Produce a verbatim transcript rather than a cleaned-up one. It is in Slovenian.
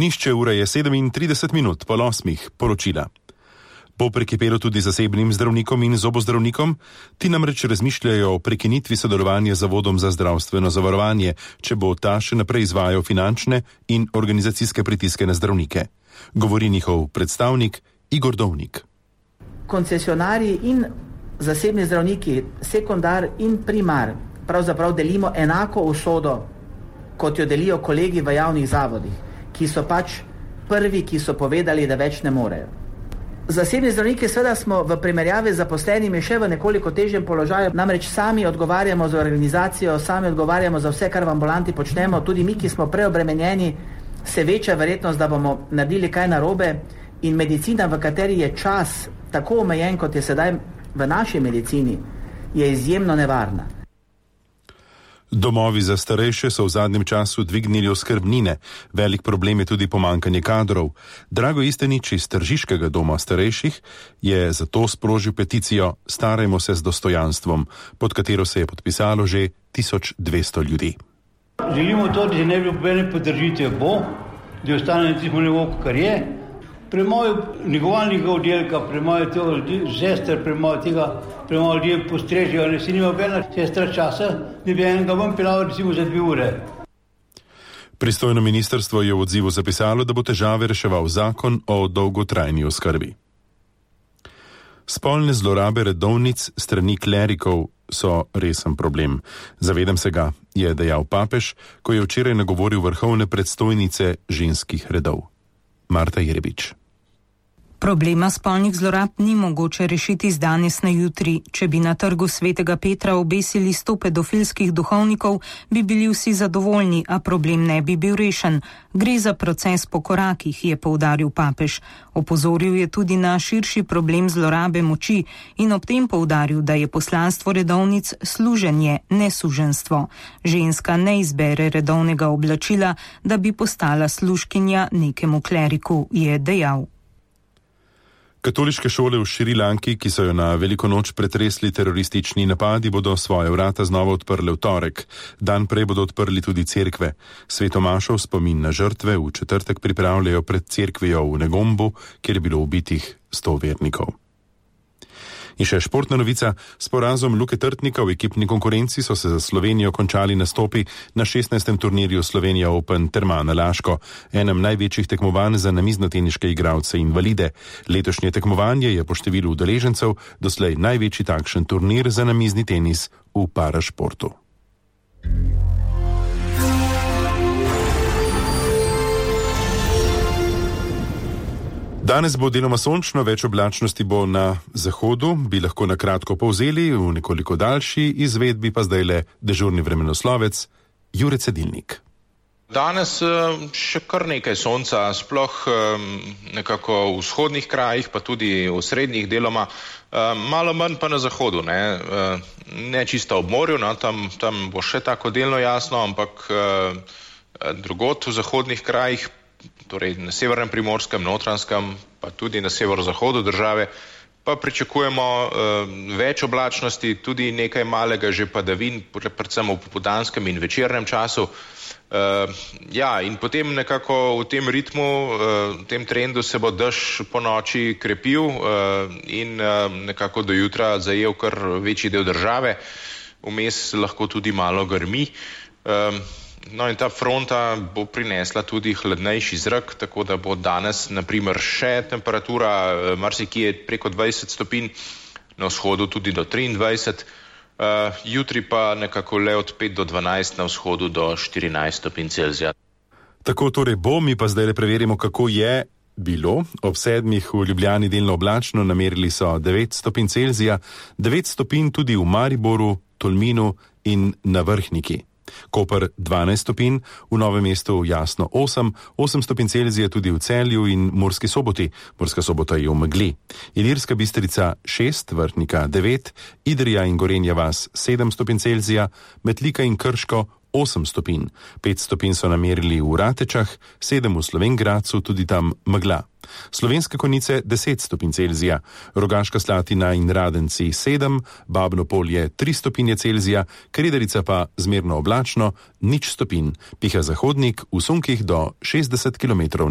Nišče ura je sedemintrideset minut po osmih, poročila. Bo prekipelo tudi zasebnim zdravnikom in zobozdravnikom, ti namreč razmišljajo o prekinitvi sodelovanja z Zavodom za zdravstveno zavarovanje, če bo ta še naprej izvajal finančne in organizacijske pritiske na zdravnike. Govori njihov predstavnik Igor Dovnik. Koncesionarji in zasebni zdravniki, sekundar in primar, pravzaprav delimo enako usodo, kot jo delijo kolegi v javnih zavodih, ki so pač prvi, ki so povedali, da več ne morejo. Zasebni zdravniki seveda smo v primerjavi z zaposlenimi še v nekoliko težjem položaju, namreč sami odgovarjamo za organizacijo, sami odgovarjamo za vse, kar v ambulanti počnemo, tudi mi, ki smo preobremenjeni, se večja verjetnost, da bomo naredili kaj narobe, in medicina, v kateri je čas tako omejen, kot je sedaj v naši medicini, je izjemno nevarna. Domovi za starejše so v zadnjem času dvignili oskrbnine. Velik problem je tudi pomanjkanje kadrov. Drago Istenič iz Tržiškega doma starejših je zato sprožil peticijo Starajmo se z dostojanstvom, pod katero se je podpisalo že tisoč dvesto ljudi. Želimo to, da se ne bi pobene podržitev bo, da ostane na tistem nivoju, kar je. Premalo negovalnega oddelka, premalo sester, premalo tega, premalo ljudi postrežejo, ne si nima bena sestra časa, da bi enega vam pelalo recimo za dve ure. Pristojno ministrstvo je v odzivu zapisalo, da bo težave reševal zakon o dolgotrajni oskrbi. Spolne zlorabe redovnic strani klerikov so resen problem. Zavedam se ga, je dejal papež, ko je včeraj nagovoril vrhovne predstojnice ženskih redov. Marta Jerebič. Problema spolnih zlorab ni mogoče rešiti z danes na jutri. Če bi na trgu Svetega Petra obesili sto pedofilskih duhovnikov, bi bili vsi zadovoljni, a problem ne bi bil rešen. Gre za proces po korakih, je poudaril papež. Opozoril je tudi na širši problem zlorabe moči in ob tem poudaril, da je poslanstvo redovnic služenje, ne suženstvo. Ženska ne izbere redovnega oblačila, da bi postala služkinja nekemu kleriku, je dejal. Katoliške šole v Šrilanki, ki so jo na veliko noč pretresli teroristični napadi, bodo svoje vrata znova odprle v torek. Dan prej bodo odprli tudi cerkve. Svetomašo v spomin na žrtve v četrtek pripravljajo pred cerkvijo v Negombu, kjer je bilo ubitih sto vernikov. In še športna novica. S porazom Luke Trtnika v ekipni konkurenci so se za Slovenijo končali nastopi na šestnajstem turnirju Slovenija Open Termana Laško, enem največjih tekmovanj za namiznoteniške igralce invalide. Letošnje tekmovanje je po številu udeležencev doslej največji takšen turnir za namizni tenis v parašportu. Danes bo deloma sončno, več oblačnosti bo na zahodu, bi lahko na kratko povzeli, v nekoliko daljši izvedbi pa zdaj le dežurni vremenoslovec Jure Cedilnik. Danes še kar nekaj sonca, sploh nekako v vzhodnih krajih, pa tudi v srednjih deloma, malo manj pa na zahodu, ne, ne čisto ob morju, no, tam, tam bo še tako delno jasno, ampak drugod v zahodnih krajih, torej na severnem Primorskem, Notranjskem, pa tudi na severozahodu države, pa pričakujemo uh, več oblačnosti, tudi nekaj malega že padavin, predvsem v popoldanskem in večernem času. Uh, ja, in potem nekako v tem ritmu, uh, v tem trendu se bo dež po noči krepil uh, in uh, nekako do jutra zajel kar večji del države, vmes lahko tudi malo grmi. Uh, No in ta fronta bo prinesla tudi hladnejši zrak, tako da bo danes naprimer še temperatura marsikje preko dvajset stopinj, na vzhodu tudi do triindvajset, uh, jutri pa nekako le od pet do dvanajst, na vzhodu do štirinajst stopinj Celzija. Tako torej bo, mi pa zdaj le preverimo, kako je bilo. Ob sedmih v Ljubljani delno oblačno, namerili so devet stopinj Celzija, devet stopinj tudi v Mariboru, Tolminu in na Vrhniki. Koper dvanajst stopinj, v Novem mestu jasno osem, osem stopinj Celzija tudi v Celju in Murski Soboti. Murska Sobota je v megli. Ilirska Bistrica šest, Vrhnika devet, Idrija in Gorenja vas sedem stopinj Celzija, Metlika in Krško osem stopinj. pet stopinj so namerili v Ratečah, sedem v Slovenj Gradcu, tudi tam megla. Slovenske Konjice deset stopinj Celzija, Rogaška Slatina in Radenci sedem, Babno Polje tri stopinje Celzija, Kredarica pa zmerno oblačno, nič stopinj. Piha zahodnik v sunkih do šestdeset kilometrov